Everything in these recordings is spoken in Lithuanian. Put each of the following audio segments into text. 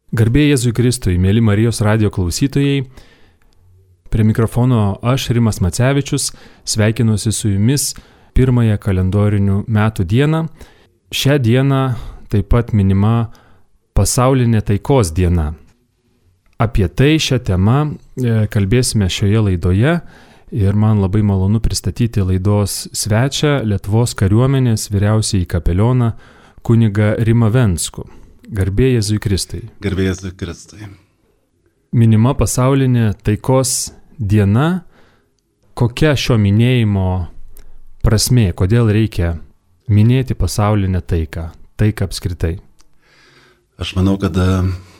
Garbė Jėzui Kristui, mėly Marijos radijo klausytojai, prie mikrofono aš, Rimas Macevičius, sveikinuosi su jumis pirmąją kalendorinių metų dieną. Šią dieną taip pat minima pasaulinė taikos diena. Apie tai šią temą kalbėsime šioje laidoje ir man labai malonu pristatyti laidos svečią, Lietuvos kariuomenės vyriausiąjį kapelioną kunigą Rimą Venckų. Garbė Jėzui Kristui. Garbė Jėzui Kristui. Minima pasaulinė taikos diena. Kokia šio minėjimo prasmė? Kodėl reikia minėti pasaulinę taiką? Taiką apskritai. Aš manau, kad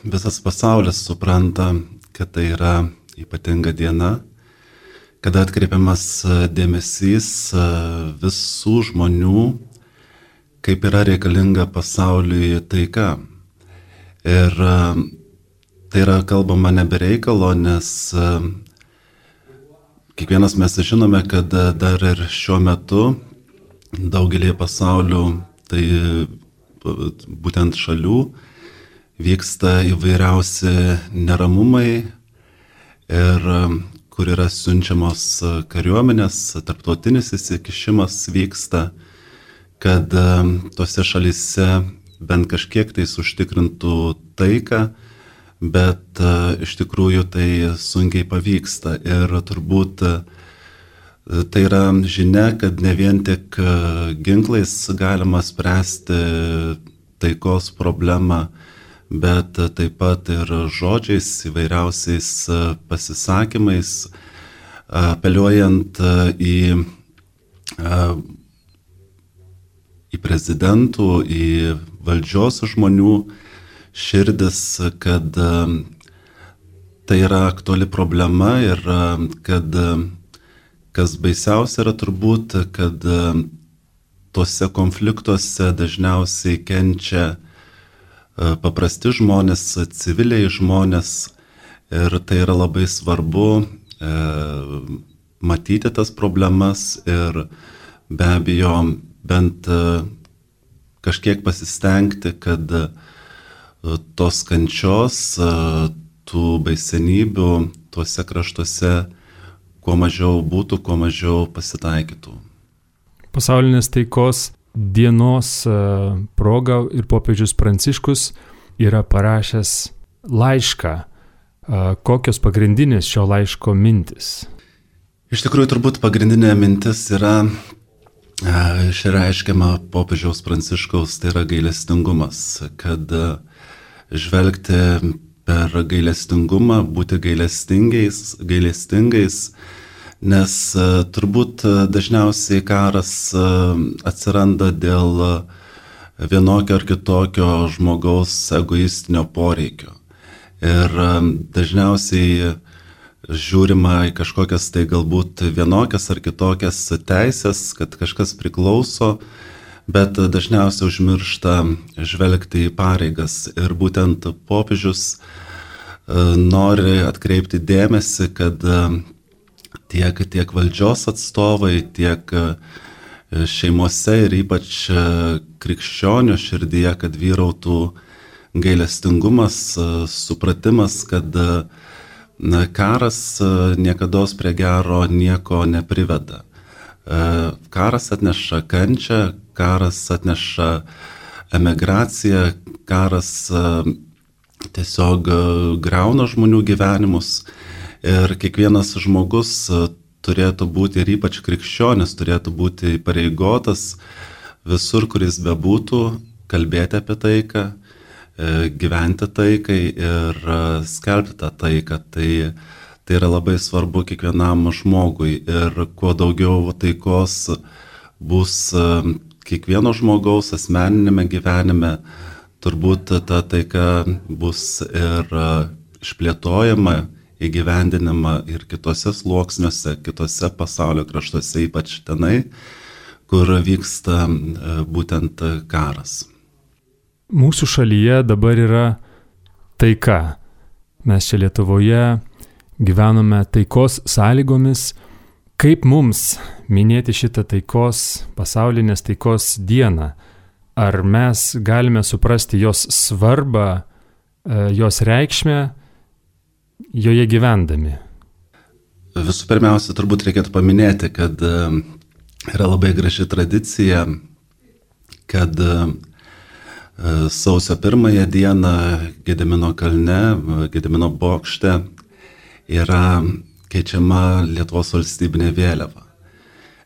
visas pasaulis supranta, kad tai yra ypatinga diena, kada atkreipiamas dėmesys visų žmonių, kaip yra reikalinga pasauliui taika. Ir tai yra kalbama nebereikalo, nes kiekvienas mes žinome, kad dar ir šiuo metu daugelį pasaulių, tai būtent šalių, vyksta įvairiausi neramumai ir kur yra siunčiamos kariuomenės, tarptautinis įsikišimas vyksta, kad tose šalyse bent kažkiek tai užtikrintų taiką, bet iš tikrųjų tai sunkiai pavyksta. Ir turbūt tai yra žinia, kad ne vien tik ginklais galima spręsti taikos problemą, bet taip pat ir žodžiais, įvairiausiais pasisakymais, apeliuojant į prezidentų, į valdžios žmonių širdis, kad tai yra aktuali problema ir kad kas baisiausia yra turbūt, kad tuose konfliktuose dažniausiai kenčia paprasti žmonės, civiliai žmonės ir tai yra labai svarbu matyti tas problemas ir be abejo bent kažkiek pasistengti, kad tos kančios, tų baisenybių tuose kraštuose kuo mažiau būtų, kuo mažiau pasitaikytų. Pasaulinės taikos dienos proga ir popiežius Pranciškus yra parašęs laišką. Kokios pagrindinės šio laiško mintis? Iš tikrųjų, turbūt pagrindinė mintis yra išreiškiama popiežiaus Pranciškaus, tai yra gailestingumas, kad žvelgti per gailestingumą, būti gailestingais, nes turbūt dažniausiai karas atsiranda dėl vienokio ar kitokio žmogaus egoistinio poreikio. Ir dažniausiai žiūrima į kažkokias tai galbūt vienokias ar kitokias teisės, kad kažkas priklauso, bet dažniausiai užmiršta žvelgti į pareigas. Ir būtent popiežius nori atkreipti dėmesį, kad tiek valdžios atstovai, tiek šeimose ir ypač krikščionių širdyje, kad vyrautų gailestingumas, supratimas, kad karas niekados prie gero nieko nepriveda. Karas atneša kančią, karas atneša emigraciją, karas tiesiog grauna žmonių gyvenimus ir kiekvienas žmogus turėtų būti, ir ypač krikščionis, turėtų būti įpareigotas visur, kur jis bebūtų, kalbėti apie taiką, gyventi taikai ir skelbti tą taiką. Tai yra labai svarbu kiekvienam žmogui ir kuo daugiau taikos bus kiekvieno žmogaus asmeninėme gyvenime, turbūt ta taika bus ir išplėtojama, įgyvendinama ir kitose sluoksniuose, kitose pasaulio kraštuose, ypač tenai, kur vyksta būtent karas. Mūsų šalyje dabar yra taika. Mes čia Lietuvoje gyvename taikos sąlygomis. Kaip mums minėti šitą pasaulinės taikos dieną? Ar mes galime suprasti jos svarbą jos reikšmę joje gyvendami? Visų pirmiausia, turbūt reikėtų paminėti, kad yra labai graži tradicija, kad sausio 1 dieną Gedimino kalne, Gedimino bokšte yra keičiama Lietuvos valstybinė vėliava.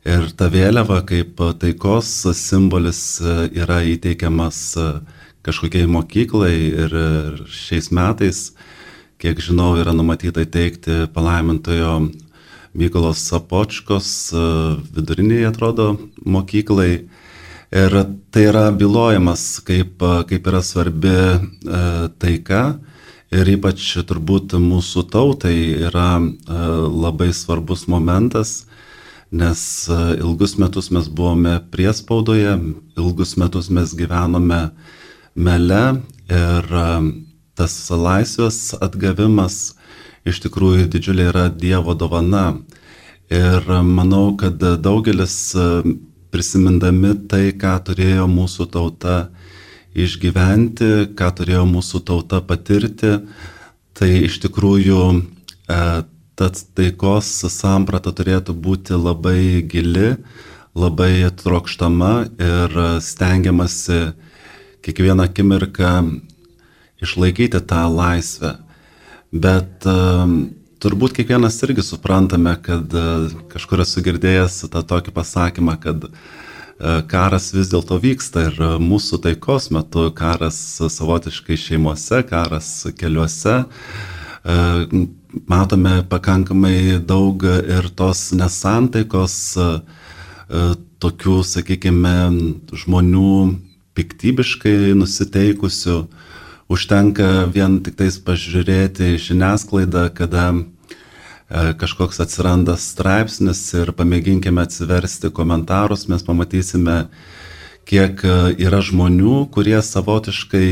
Ir ta vėliava kaip taikos simbolis yra įteikiamas kažkokiai mokyklai ir šiais metais, kiek žinau, yra numatyta įteikti palaimintojo Mykolo Sopočkos viduriniai, atrodo, mokyklai. Ir tai yra bylojimas, kaip yra svarbi taika. Ir ypač turbūt mūsų tautai yra labai svarbus momentas, nes ilgus metus mes buvome priespaudoje, ilgus metus mes gyvenome mele ir tas laisvės atgavimas iš tikrųjų didžiulė yra Dievo dovana. Ir manau, kad daugelis prisimindami tai, ką turėjo mūsų tauta išgyventi, ką turėjo mūsų tauta patirti, tai iš tikrųjų tad taikos samprata turėtų būti labai gili, labai trokštama ir stengiamasi kiekvieną akimirką išlaikyti tą laisvę. Bet turbūt kiekvienas irgi suprantame, kad kažkur esu girdėjęs tą tokį pasakymą, kad karas vis dėlto vyksta ir mūsų taikos metu karas savotiškai šeimose, karas keliuose. Matome pakankamai daug ir tos nesantaikos, tokių, sakykime, žmonių piktybiškai nusiteikusių. Užtenka vien tik tais pažiūrėti žiniasklaidą, kada kažkoks atsiranda straipsnis ir pamėginkime atsiversti komentarus, mes pamatysime, kiek yra žmonių, kurie savotiškai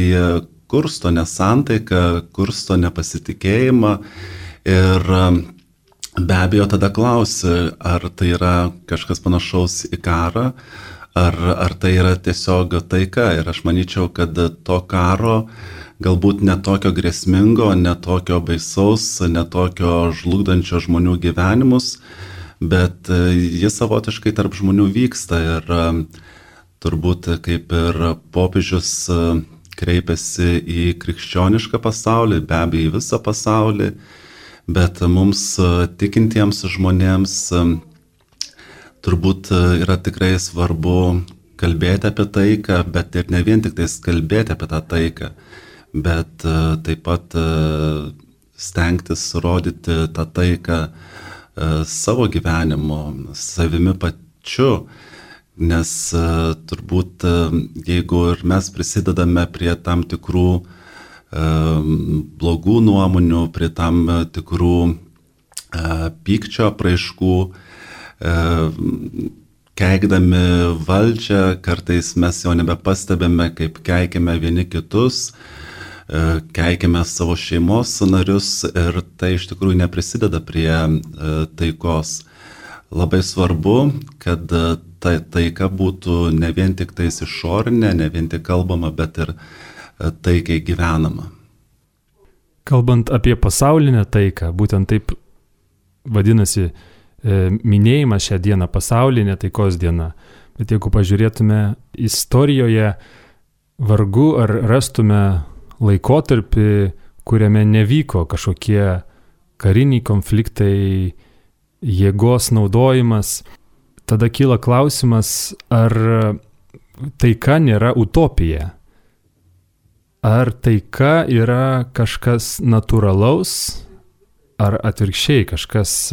kursto nesantaiką, kursto nepasitikėjimą. Ir be abejo tada klausi, ar tai yra kažkas panašaus į karą, ar tai yra tiesiog taika. Ir aš manyčiau, kad to karo galbūt ne tokio grėsmingo, ne tokio baisaus, ne tokio žlugdančio žmonių gyvenimus, bet jis savotiškai tarp žmonių vyksta. Ir turbūt kaip ir popiežius kreipiasi į krikščionišką pasaulį, be abejo į visą pasaulį, bet mums tikintiems žmonėms turbūt yra tikrai svarbu kalbėti apie taiką, bet ir ne vien tik tais kalbėti apie tą taiką, bet taip pat stengtis rodyti tą taiką savo gyvenimu, savimi pačiu, nes turbūt jeigu ir mes prisidedame prie tam tikrų blogų nuomonių, prie tam tikrų pykčio apraiškų, keikdami valdžią, kartais mes jau nebepastebime, kaip keikime vieni kitus, keikime savo šeimos narius ir tai iš tikrųjų neprisideda prie taikos. Labai svarbu, kad ta taika būtų ne vien tik tais išorinė, ne vien tik kalbama, bet ir taikiai gyvenama. Kalbant apie pasaulinę taiką, būtent taip vadinasi minėjimas šią dieną, pasaulinė taikos diena. Bet jeigu pažiūrėtume istorijoje, vargu ar rastume laikotarpį, kuriame nevyko kažkokie kariniai konfliktai, jėgos naudojimas. Tada kyla klausimas, ar taika nėra utopija. Ar taika yra kažkas natūralaus, ar atvirkščiai kažkas,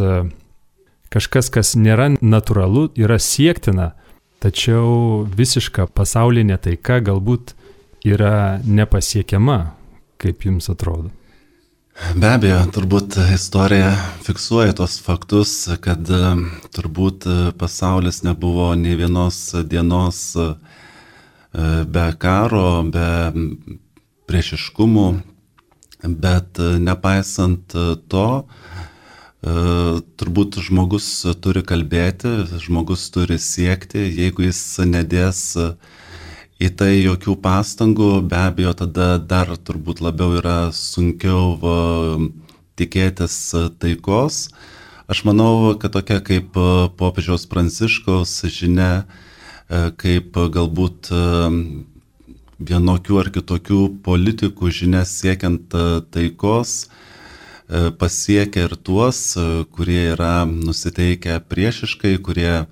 kas nėra natūralu, yra siektina, tačiau visiška pasaulinė taika galbūt yra nepasiekiama, kaip jums atrodo? Be abejo, turbūt istorija fiksuoja tos faktus, kad turbūt pasaulis nebuvo nei vienos dienos be karo, be priešiškumų, bet nepaisant to, turbūt žmogus turi kalbėti, žmogus turi siekti, jeigu jis nedės į tai jokių pastangų, be abejo, tada dar turbūt labiau yra sunkiau tikėtis taikos. Aš manau, kad tokia kaip popiežiaus Pranciškaus žinia, kaip galbūt vienokių ar kitokių politikų žinia siekiant taikos, pasiekia ir tuos, kurie yra nusiteikę priešiškai, kurie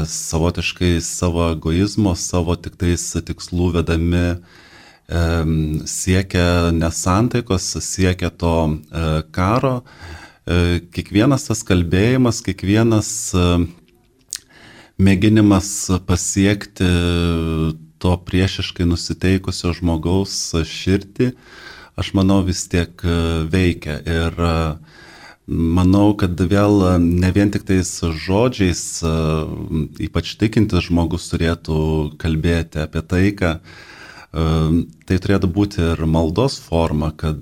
savotiškai savo egoizmo, savo tiktais tikslų vedami siekia nesantaikos, siekia to karo. Kiekvienas tas kalbėjimas, kiekvienas mėginimas pasiekti to priešiškai nusiteikusio žmogaus širdį, aš manau, vis tiek veikia. Ir manau, kad vėl ne vien tik tais žodžiais, ypač tikintis žmogus turėtų kalbėti apie taiką. Tai turėtų būti ir maldos forma, kad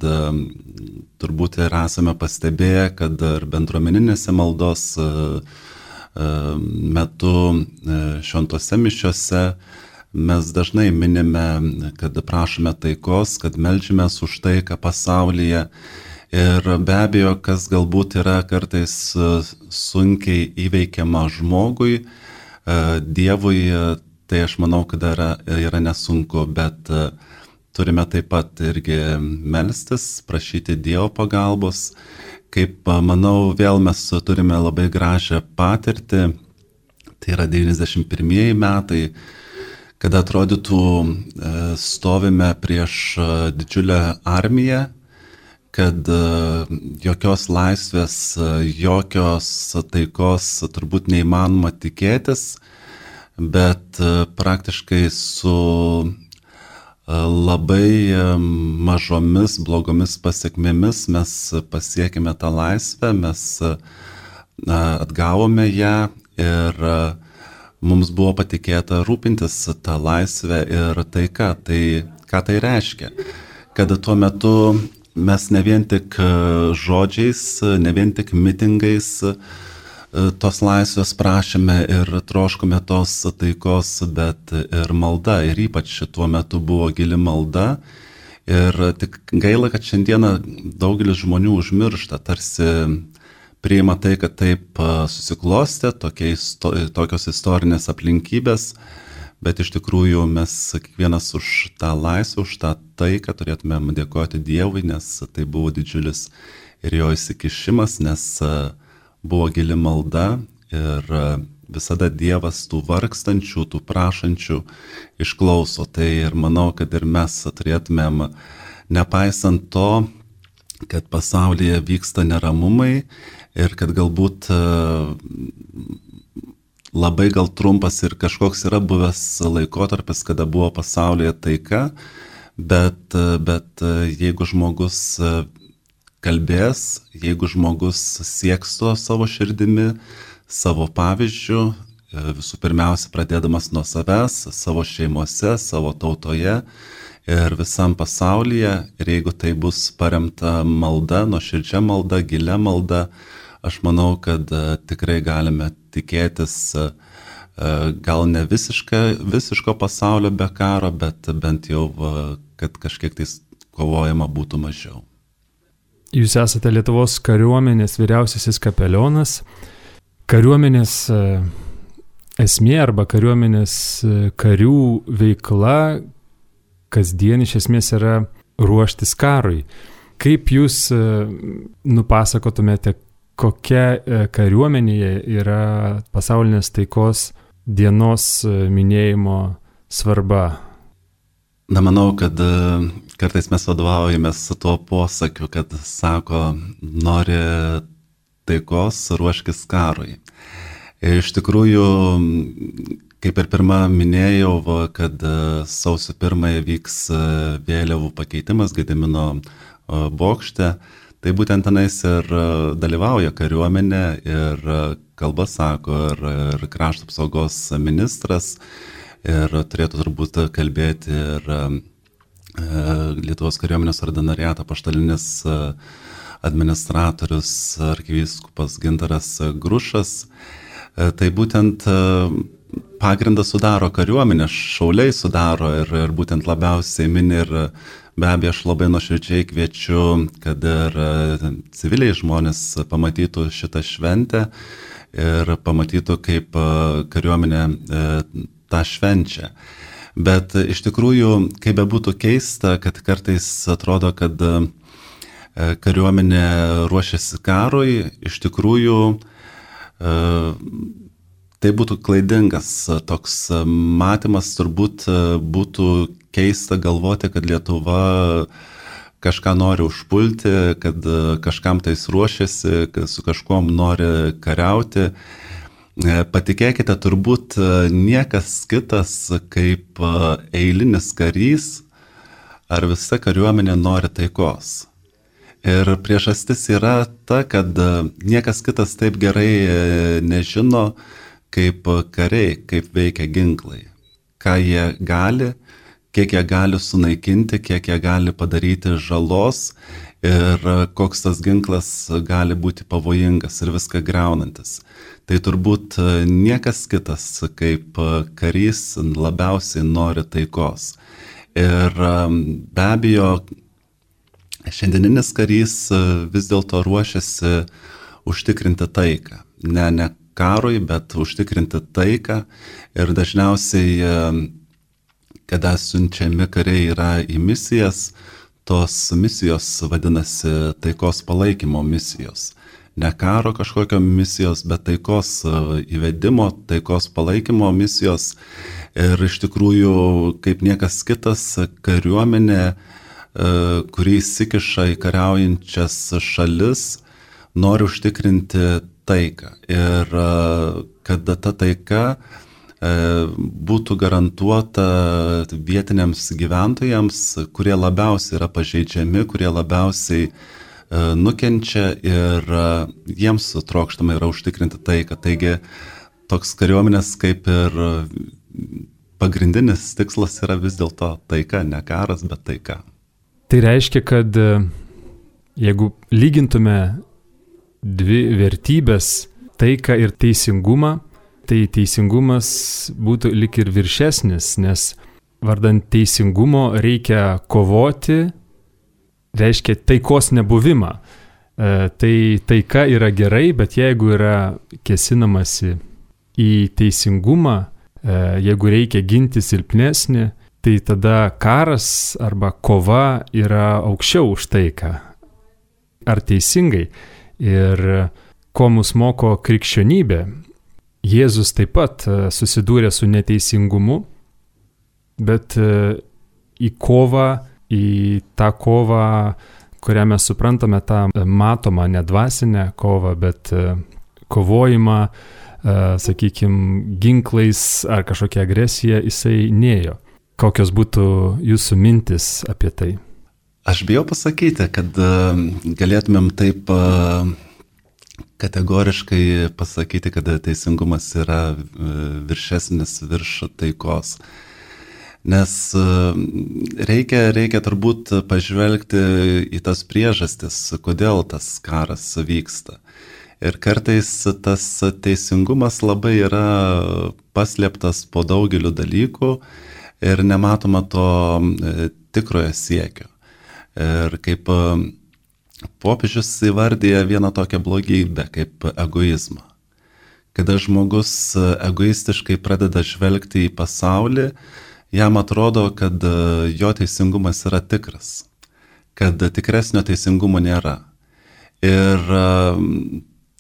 turbūt ir esame pastebėję, kad ir bendruomeninėse maldos metu šventose mišiose mes dažnai minime, kad prašome taikos, kad meldžiamės už taiką pasaulyje. Ir be abejo, kas galbūt yra kartais sunkiai įveikiama žmogui, Dievui, tai aš manau, kad yra nesunku, bet turime taip pat irgi melstis, prašyti Dievo pagalbos. Kaip manau, vėl mes turime labai gražią patirtį, tai yra 91 metai, kada atrodytų stovime prieš didžiulę armiją, kad jokios laisvės, jokios taikos turbūt neįmanoma tikėtis, bet praktiškai su labai mažomis blogomis pasiekmėmis mes pasiekime tą laisvę, mes atgavome ją ir mums buvo patikėta rūpintis tą laisvę ir taika. Tai ką tai reiškia? Kad tuo metu mes ne vien tik žodžiais, ne vien tik mitingais tos laisvės prašėme ir troškome tos taikos, bet ir malda. Ir ypač tuo metu buvo gili malda. Ir tik gaila, kad šiandieną daugelis žmonių užmiršta, tarsi priima tai, kad taip susiklostė, tokios istorinės aplinkybės, bet iš tikrųjų mes kiekvienas už tą laisvę, už tą taiką turėtumėm dėkoti Dievui, nes tai buvo didžiulis ir jo įsikišimas, nes buvo gili malda ir visada Dievas tų vargstančių, tų prašančių išklauso. Tai ir manau, kad ir mes turėtumėm, nepaisant to, kad pasaulyje vyksta neramumai ir kad galbūt labai gal trumpas ir kažkoks yra buvęs laikotarpis, kada buvo pasaulyje taika, bet jeigu žmogus kalbės, jeigu žmogus sieks to savo širdimi, savo pavyzdžių, visų pirmiausia pradėdamas nuo savęs, savo šeimose, savo tautoje ir visam pasaulyje, ir jeigu tai bus paremta malda, nuoširdžia malda, gilia malda, aš manau, kad tikrai galime tikėtis gal ne visiško pasaulio be karo, bet bent jau, kad kažkiek tais kovojama būtų mažiau. Jūs esate Lietuvos kariuomenės vyriausiasis kapelionas. Kariuomenės esmė arba kariuomenės karių veikla kasdien iš esmės yra ruoštis karui. Kaip jūs nupasakotumėte, kokia kariuomenėje yra pasaulinės taikos dienos minėjimo svarba? Na, manau, kad kartais mes vadovaujamės tuo posakiu, kad sako, nori taikos, ruoškis karui. Iš tikrųjų, kaip ir pirmą minėjau, kad sausio 1 vyks vėliavų pakeitimas Gedimino bokšte, tai būtent tenais ir dalyvauja kariuomenė ir kalba sako ir krašto apsaugos ministras, ir turėtų turbūt kalbėti ir Lietuvos kariuomenės ordinariato apaštalinis administratorius arkivyskupas Gintaras Grušas. Tai būtent pagrindą sudaro kariuomenė, šauliai sudaro ir būtent labiausiai mini ir be abejo aš labai nuoširdžiai kviečiu, kad ir civiliai žmonės pamatytų šitą šventę ir pamatytų, kaip kariuomenė tą švenčia. Bet iš tikrųjų, kaip bebūtų keista, kad kartais atrodo, kad kariuomenė ruošiasi karui, iš tikrųjų tai būtų klaidingas toks matymas, turbūt būtų keista galvoti, kad Lietuva kažką nori užpulti, kad kažkam tais ruošiasi, kad su kažkuom nori kariauti. Patikėkite, turbūt niekas kitas kaip eilinis karys ar visa kariuomenė nori taikos. Ir priežastis yra ta, kad niekas kitas taip gerai nežino, kaip kariai, kaip veikia ginklai, ką jie gali, kiek jie gali sunaikinti, kiek jie gali padaryti žalos ir koks tas ginklas gali būti pavojingas ir viską griaunantis. Tai turbūt niekas kitas kaip karys labiausiai nori taikos. Ir be abejo, šiandieninis karys vis dėlto ruošiasi užtikrinti taiką. Ne karui, bet užtikrinti taiką. Ir dažniausiai, kada siunčiami kariai yra į misijas, tos misijos vadinasi taikos palaikymo misijos. Ne karo kažkokio misijos, bet taikos įvedimo, taikos palaikymo misijos. Ir iš tikrųjų, kaip niekas kitas, kariuomenė, kuri įsikiša į kariaujančias šalis, nori užtikrinti taiką. Ir kad ta taika būtų garantuota vietiniams gyventojams, kurie labiausiai yra pažeidžiami, kurie labiausiai nukenčia ir jiems trokštama yra užtikrinti taiką. Taigi toks kariuomenės kaip ir pagrindinis tikslas yra vis dėlto taika, ne karas, bet taika. Tai reiškia, kad jeigu lygintume dvi vertybės, taiką ir teisingumą, tai teisingumas būtų lik ir viršesnis, nes vardant teisingumo reikia kovoti, reiškia taikos nebuvimą. Tai taika yra gerai, bet jeigu yra kėsinamasi į teisingumą, jeigu reikia ginti silpnesnį, tai tada karas arba kova yra aukščiau už taiką. Ar teisingai? Ir ko mus moko krikščionybė? Jėzus taip pat susidūrė su neteisingumu, bet į tą kovą, kurią mes suprantame, tą matomą, nedvasinę kovą, bet kovojimą, sakykime, ginklais ar kažkokia agresija, jisai nėjo. Kokios būtų jūsų mintis apie tai? Aš bijau pasakyti, kad galėtumėm taip kategoriškai pasakyti, kad teisingumas yra viršesnis virš taikos. Nes reikia turbūt pažvelgti į tas priežastis, kodėl tas karas vyksta. Ir kartais tas teisingumas labai yra paslėptas po daugeliu dalykų ir nematoma to tikrojo siekio. Ir kaip popiežius įvardyja vieną tokią blogybę, kaip egoizmą. Kada žmogus egoistiškai pradeda žvelgti į pasaulį, jam atrodo, kad jo teisingumas yra tikras, kad tikresnio teisingumo nėra. Ir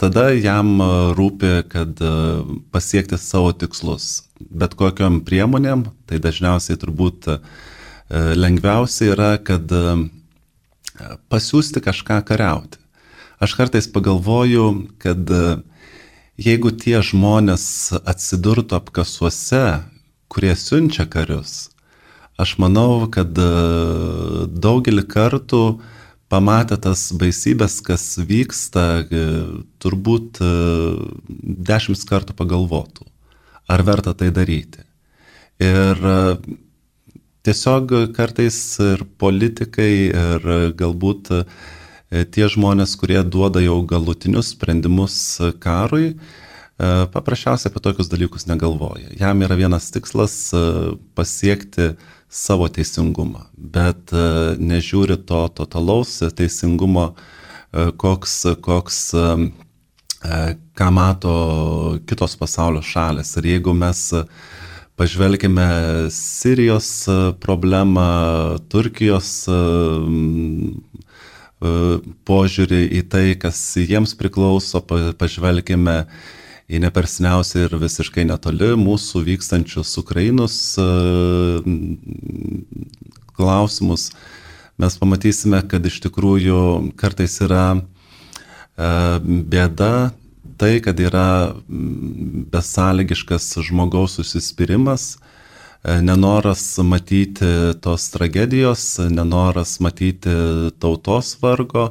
tada jam rūpi, kad pasiekti savo tikslus. Bet kokiom priemonėm, tai dažniausiai turbūt lengviausia yra, kad pasiųsti kažką kariauti. Aš kartais pagalvoju, kad jeigu tie žmonės atsidurtų apkasuose, kurie siunčia karius, aš manau, kad daugelį kartų pamatę tas baisybės, kas vyksta, turbūt 10 kartų pagalvotų, ar verta tai daryti. Ir tiesiog kartais ir politikai, ir galbūt tie žmonės, kurie duoda jau galutinius sprendimus karui, paprasčiausiai apie tokius dalykus negalvoja. Jam yra vienas tikslas pasiekti savo teisingumą, bet nežiūri to totalaus teisingumo, ką mato kitos pasaulio šalės. Ir jeigu mes pažvelgime Sirijos problemą, Turkijos požiūrį į tai, kas jiems priklauso, pažvelgime į neperseniausiai ir visiškai netoli mūsų vykstančius Ukrainos klausimus, mes pamatysime, kad iš tikrųjų kartais yra bėda tai, kad yra besąlygiškas žmogaus užsispyrimas, nenoras matyti tos tragedijos, nenoras matyti tautos vargo,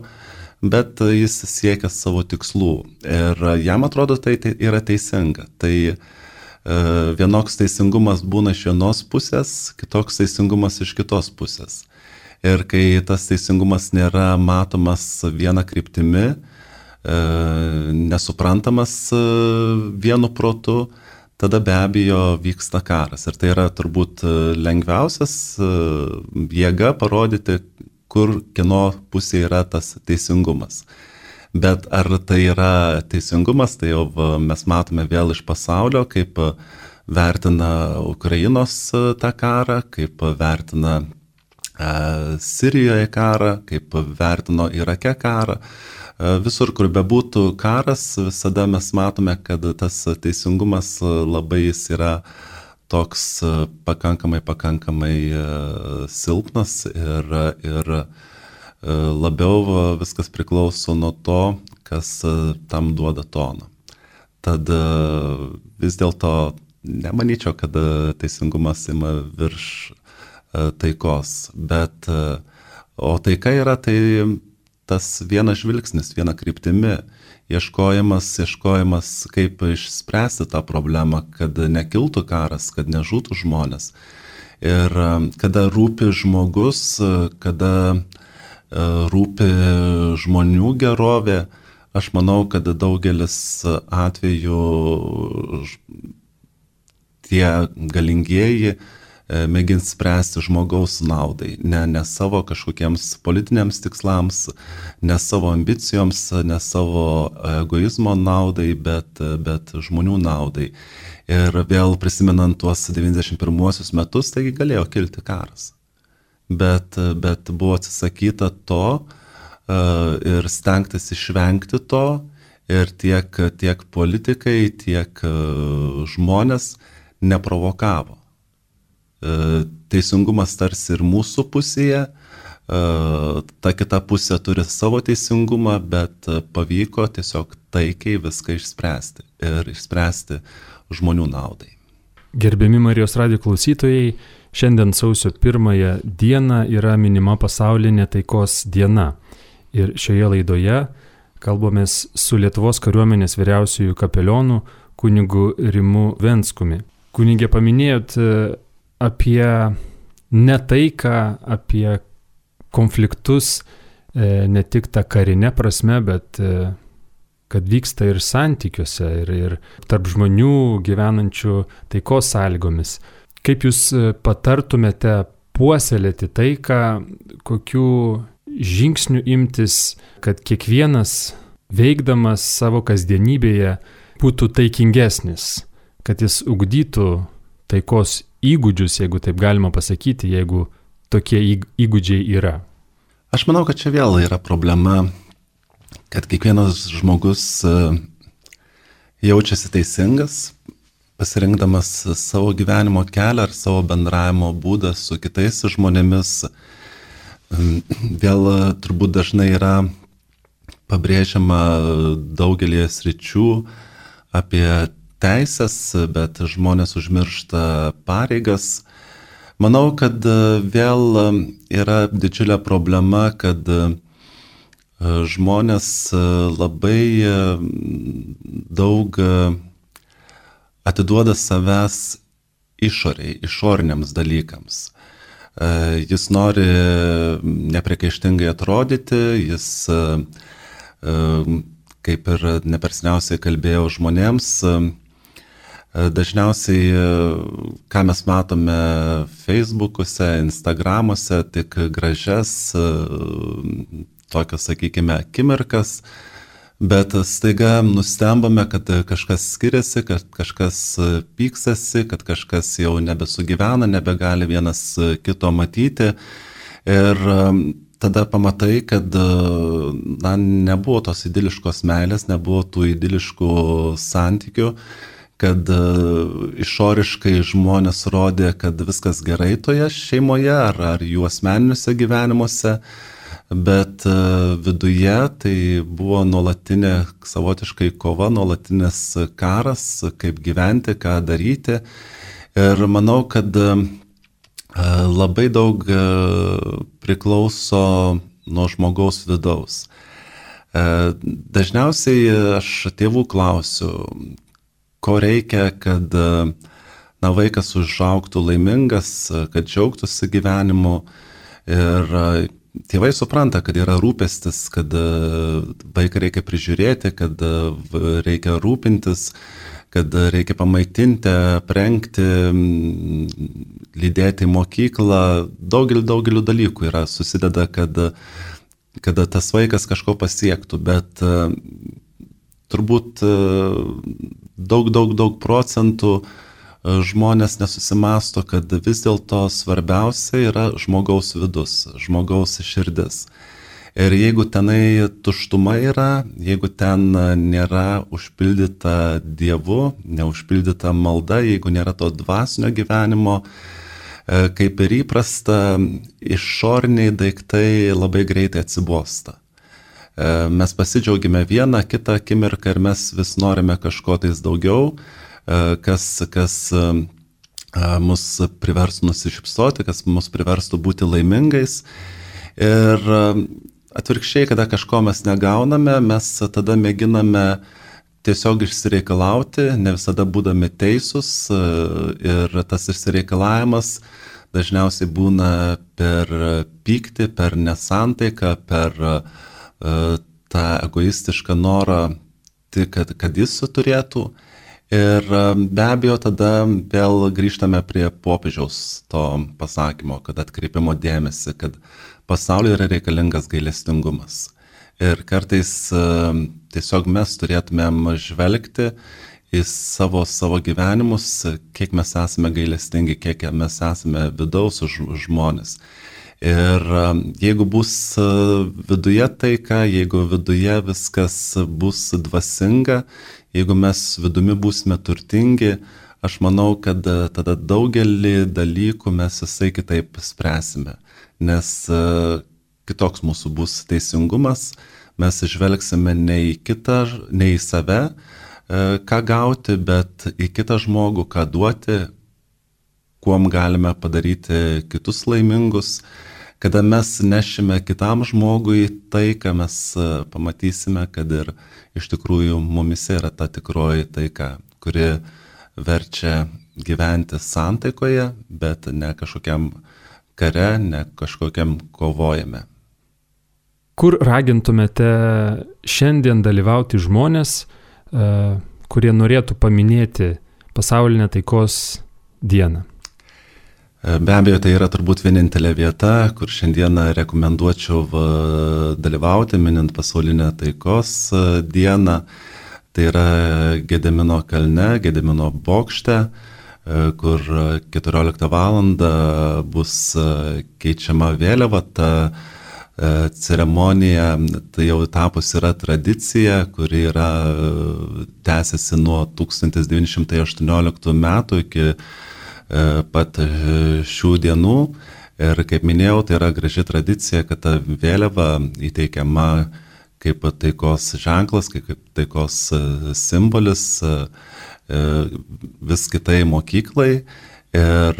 bet jis siekia savo tikslų ir jam atrodo tai yra teisinga. Tai vienoks teisingumas būna iš vienos pusės, kitoks teisingumas iš kitos pusės. Ir kai tas teisingumas nėra matomas viena kryptimi, nesuprantamas vienu protu, tada be abejo vyksta karas. Ir tai yra turbūt lengviausias jėga parodyti, kur kieno pusė yra tas teisingumas. Bet ar tai yra teisingumas, tai jau mes matome vėl iš pasaulio, kaip vertina Ukrainos tą karą, kaip vertina Sirijoje karą, kaip vertino Irake karą. Visur, kur bebūtų karas, visada mes matome, kad tas teisingumas labai jis yra toks pakankamai silpnas ir labiau viskas priklauso nuo to, kas tam duoda toną. Tad vis dėlto nemanyčiau, kad teisingumas ima virš taikos, bet o taika yra tai tas vienas žvilgsnis, viena kryptimi, ieškojimas, kaip išspręsti tą problemą, kad nekiltų karas, kad nežūtų žmonės. Ir kada rūpi žmogus, kada rūpi žmonių gerovė, aš manau, kad daugelis atvejų tie galingieji mėgins spręsti žmogaus naudai, ne savo kažkokiems politiniams tikslams, ne savo ambicijoms, ne savo egoizmo naudai, bet žmonių naudai. Ir vėl prisimenant tuos 91 metus, taigi galėjo kilti karas. Bet buvo atsisakyta to ir stengtis išvengti to, ir tiek politikai, tiek žmonės neprovokavo. Teisingumas tarsi ir mūsų pusėje, ta kita pusė turi savo teisingumą, bet pavyko tiesiog taikiai viską išspręsti ir išspręsti žmonių naudai. Gerbiami Marijos radijo klausytojai, šiandien sausio 1 dieną yra minima pasaulinė taikos diena. Ir šioje laidoje kalbamės su Lietuvos kariuomenės vyriausiuoju kapelionu kunigu Rimu Venskumi. Kunige, paminėjot apie netaiką, apie konfliktus, ne tik tą karinę prasme, bet kad vyksta ir santykiuose, ir tarp žmonių gyvenančių taikos sąlygomis. Kaip jūs patartumėte puoselėti taiką, kokių žingsnių imtis, kad kiekvienas veikdamas savo kasdienybėje būtų taikingesnis, kad jis ugdytų taikos įgūdžius, jeigu taip galima pasakyti, jeigu tokie įgūdžiai yra? Aš manau, kad čia vėl yra problema, kad kiekvienas žmogus jaučiasi teisingas, pasirinkdamas savo gyvenimo kelią ar savo bendravimo būdą su kitais žmonėmis. Vėl turbūt dažnai yra pabrėžiama daugelį sričių apie teisės, bet žmonės užmiršta pareigas. Manau, kad vėl yra didžiulė problema, kad žmonės labai daug atiduoda savęs išoriniams dalykams. Jis nori nepriekaištingai atrodyti, jis kaip ir neperseniausiai kalbėjau žmonėms, dažniausiai, ką mes matome Facebook'uose, Instagram'uose, tik gražias, tokias, sakykime, akimirkas, bet staiga nustembame, kad kažkas skiriasi, kad kažkas pyksasi, kad kažkas jau nebesugyvena, nebegali vienas kito matyti. Ir tada pamatai, kad nebuvo tos idiliškos meilės, nebuvo tų idiliškų santykių, kad išoriškai žmonės rodė, kad viskas gerai toje šeimoje ar jų asmeniniuose gyvenimuose, bet viduje tai buvo nuolatinė savotiškai kova, nuolatinis karas, kaip gyventi, ką daryti. Ir manau, kad labai daug priklauso nuo žmogaus vidaus. Dažniausiai aš tėvų klausiu, ko reikia, kad vaikas užaugtų laimingas, kad džiaugtųsi gyvenimu. Ir tėvai supranta, kad yra rūpestis, kad vaiką reikia prižiūrėti, kad reikia rūpintis, kad reikia pamaitinti, aprengti, lydėti į mokyklą. Daugeliu dalykų yra susideda, kad tas vaikas kažko pasiektų, bet turbūt daug procentų žmonės nesusimasto, kad vis dėlto svarbiausia yra žmogaus vidus, žmogaus širdis. Ir jeigu tenai tuštuma yra, jeigu ten nėra užpildyta Dievu, neužpildyta malda, jeigu nėra to dvasinio gyvenimo, kaip ir įprasta, išoriniai daiktai labai greitai atsibosta. Mes pasidžiaugime vieną, kitą akimirką ir mes vis norime kažko tais daugiau, kas mus priverstų nusišypsoti, kas mus priverstų būti laimingais. Ir atvirkščiai, kada kažko mes negauname, mes tada mėginame tiesiog išsireikalauti, ne visada būdami teisūs, ir tas išsireikalavimas dažniausiai būna per pyktį, per nesantaiką, per tą egoistišką norą, kad jis turėtų. Ir be abejo, tada vėl grįžtame prie popiežiaus to pasakymo, kad atkreipimo dėmesį, kad pasaulyje yra reikalingas gailestingumas. Ir kartais tiesiog mes turėtumėm žvelgti į savo gyvenimus, kiek mes esame gailestingi, kiek mes esame vidaus žmonės. Ir jeigu bus viduje taika, jeigu viduje viskas bus dvasinga, jeigu mes vidumi būsime turtingi, aš manau, kad tada daugelį dalykų mes visai kitaip spręsime. Nes kitoks mūsų bus teisingumas, mes žvelgsime ne į kitą, ne į save, ką gauti, bet į kitą žmogų, ką duoti, kuom galime padaryti kitus laimingus. Kada mes nešime kitam žmogui taika, mes pamatysime, kad ir iš tikrųjų mumise yra ta tikroji taika, kuri verčia gyventi santaikoje, bet ne kažkokiam kare, ne kažkokiam kovojame. Kur ragintumėte šiandien dalyvauti žmonės, kurie norėtų paminėti pasaulinę taikos dieną? Be abejo, tai yra turbūt vienintelė vieta, kur šiandieną rekomenduočiau dalyvauti, minint pasaulinę taikos dieną. Tai yra Gedimino kalne, Gedimino bokšte, kur 14 valandą bus keičiama vėliava. Ta ceremonija tai jau tapus yra tradicija, kuri yra tęsiasi nuo 1918 metų iki pat šių dienų. Ir kaip minėjau, tai yra graži tradicija, kad ta vėliava įteikiama kaip taikos ženklas, kaip taikos simbolis vis kitai mokyklai. Ir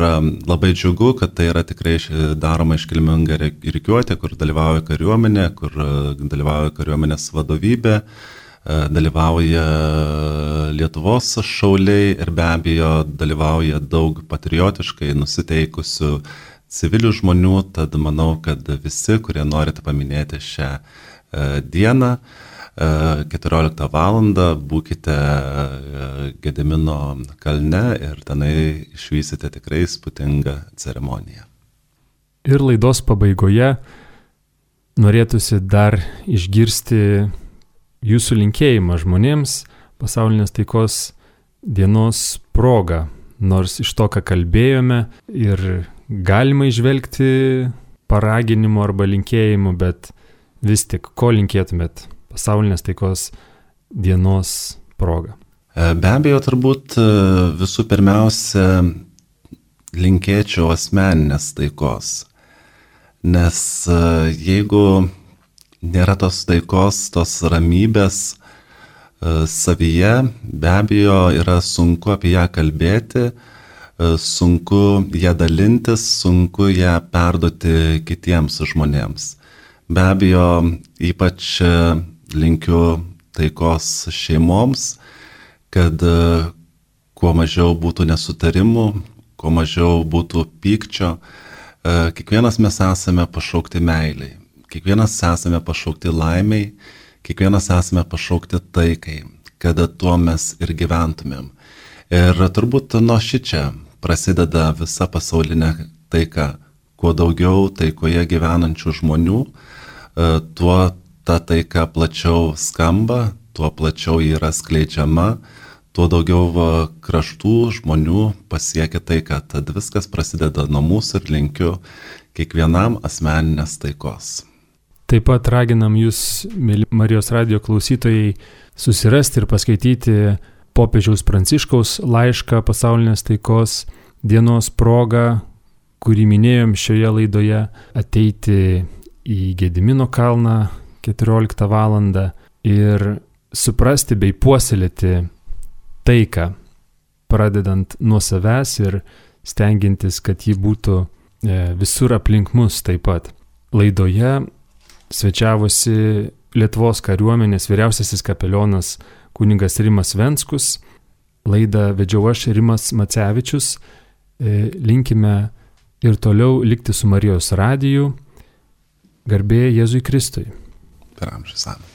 labai džiugu, kad tai yra tikrai daroma iškilminga rikiuotė, kur dalyvauja kariuomenė, kur dalyvauja kariuomenės vadovybė, dalyvauja Lietuvos šauliai ir be abejo dalyvauja daug patriotiškai nusiteikusių civilių žmonių, tad manau, kad visi, kurie norite paminėti šią dieną, 14 valandą būkite Gedimino kalne ir tenai išvysite tikrai įspūdingą ceremoniją. Ir laidos pabaigoje norėtųsi dar išgirsti jūsų linkėjimą žmonėms pasaulinės taikos dienos proga. Nors iš to, ką kalbėjome, ir galima įžvelgti paraginimų arba linkėjimų, bet vis tik, ko linkėtumėt pasaulinės taikos dienos proga? Be abejo, turbūt visų pirmiausia linkėčiau asmeninės taikos. Nes jeigu nėra tos taikos, tos ramybės savyje, be abejo, yra sunku apie ją kalbėti, sunku ją dalintis, sunku ją perduoti kitiems žmonėms. Be abejo, ypač linkiu taikos šeimoms, kad kuo mažiau būtų nesutarimų, kuo mažiau būtų pykčio. Kiekvienas mes esame pašaukti meiliai, kiekvienas esame pašaukti laimiai, kiekvienas esame pašaukti taikai, kada tuo mes ir gyventumėm. Ir turbūt nuo šičia prasideda visa pasaulinė taika. Kuo daugiau taikoje gyvenančių žmonių, tuo ta taika plačiau skamba, tuo plačiau yra skleidžiama, tuo daugiau kraštų žmonių pasiekia taiką. Tad viskas prasideda nuo mūsų ir linkiu kiekvienam asmeninės taikos. Taip pat raginam jūs, mėly Marijos radijo klausytojai, susirasti ir paskaityti popiežiaus Pranciškaus laišką pasaulinės taikos dienos proga, kurį minėjom šioje laidoje, ateiti į Gedimino kalną 14 valandą ir suprasti bei puoselėti taiką, pradedant nuo savęs ir stengiantis, kad ji būtų visur aplink mus taip pat. Laidoje svečiavosi Lietuvos kariuomenės vyriausiasis kapelionas kunigas Rimas Venckus. Laidą vedžiau aš, Rimas Macevičius. Linkime ir toliau likti su Marijos radiju. Garbė Jėzui Kristui. Per amžius. Amen.